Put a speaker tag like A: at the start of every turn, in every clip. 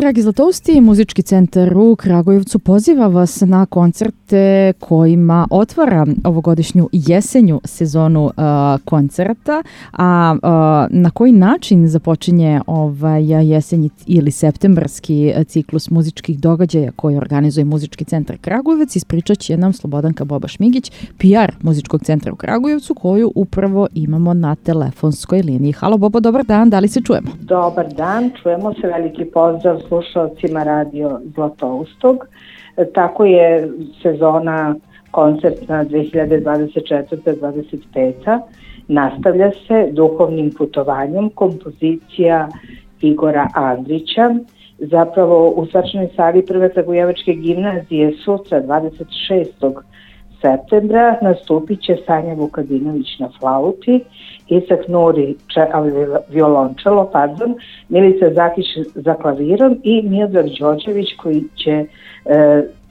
A: Dragi Zlatousti, Muzički centar u Kragujevcu poziva vas na koncerte kojima otvara ovogodišnju jesenju sezonu koncerta, a na koji način započinje jesenji ili septembarski ciklus muzičkih događaja koji organizuje Muzički centar Kragujevac, ispričat će nam Slobodanka Boba-Šmigić, PR Muzičkog centra u Kragujevcu, koju upravo imamo na telefonskoj liniji. Halo Bobo, dobar dan, da li se čujemo?
B: Dobar dan, čujemo se, veliki pozdrav slušalcima Radio Zlatoustog. Tako je sezona koncertna 2024-2025. Nastavlja se duhovnim putovanjem kompozicija Igora Andrića. Zapravo u svečanoj sali Prve Kragujevačke gimnazije sutra 26. septembra nastupit će Sanja Vukadinović na flauti, Isak Nuri violončelo, Milica Zakić za klavirom i Miodrag Đorđević koji će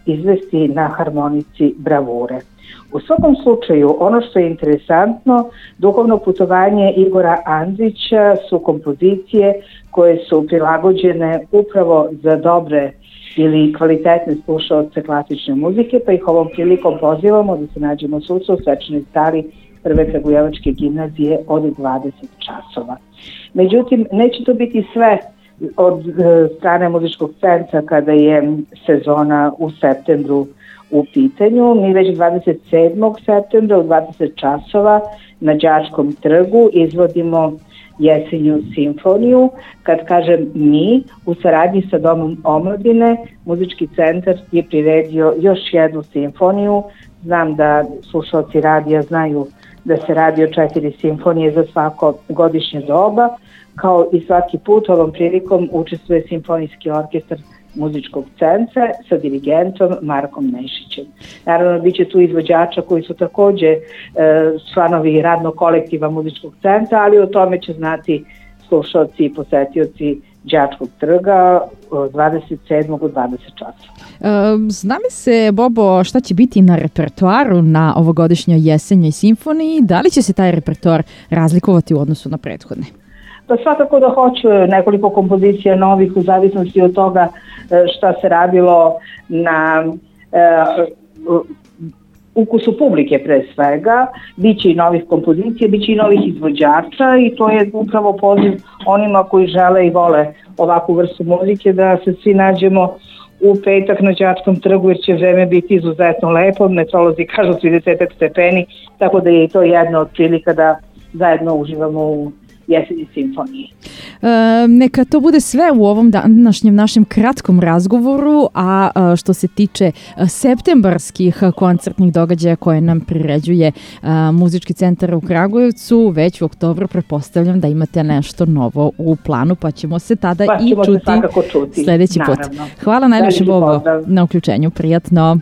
B: izvesti na harmonici bravure. U svakom slučaju, ono što je interesantno, duhovno putovanje Igora Andrića su kompozicije koje su prilagođene upravo za dobre ili kvalitetne slušaoce klasične muzike, pa ih ovom prilikom pozivamo da se nađemo sutra u svečanoj sali Prve Kragujevačke gimnazije od 20 časova. Međutim, neće to biti sve od strane muzičkog centra kada je sezona u septembru u pitanju. Mi već 27. septembra u 20 časova na Đačkom trgu izvodimo jesenju simfoniju. Kad kažem mi, u saradnji sa Domom omladine, Muzički centar je priredio još jednu simfoniju. Znam da slušalci radija znaju da se radi o 4 simfonije za svako godišnje doba. Kao i svaki put ovom prilikom učestvuje Simfonijski orkestar Muzičkog centra sa dirigentom Markom Nešićem. Naravno, bit će tu izvođača koji su takođe članovi radnog kolektiva Muzičkog centra, ali o tome će znati slušalci i posetioci Đačkog trga 27. u 20 časova.
A: Zna mi se, Bobo, šta će biti na repertoaru na ovogodišnjoj jesenjoj simfoniji? Da li će se taj repertoar razlikovati u odnosu na prethodne?
B: Pa svakako da hoću nekoliko kompozicija novih u zavisnosti od toga šta se radilo na ukusu publike pre svega. Biće i novih kompozicija, biće i novih izvođača i to je upravo poziv onima koji žele i vole ovakvu vrstu muzike da se svi nađemo u petak na Đačkom trgu jer će vreme biti izuzetno lepo, meteorolozi kažu 30 stepeni, tako da je i to jedna od prilika da zajedno uživamo u jesenji simfoniji.
A: Neka to bude sve u ovom današnjem našem kratkom razgovoru, a što se tiče septembarskih koncertnih događaja koje nam priređuje Muzički centar u Kragujevcu, već u oktobru pretpostavljam da imate nešto novo u planu, pa ćemo se tada čuti
B: sledeći
A: put. Hvala najviše, Bobo, na uključenju. Prijatno.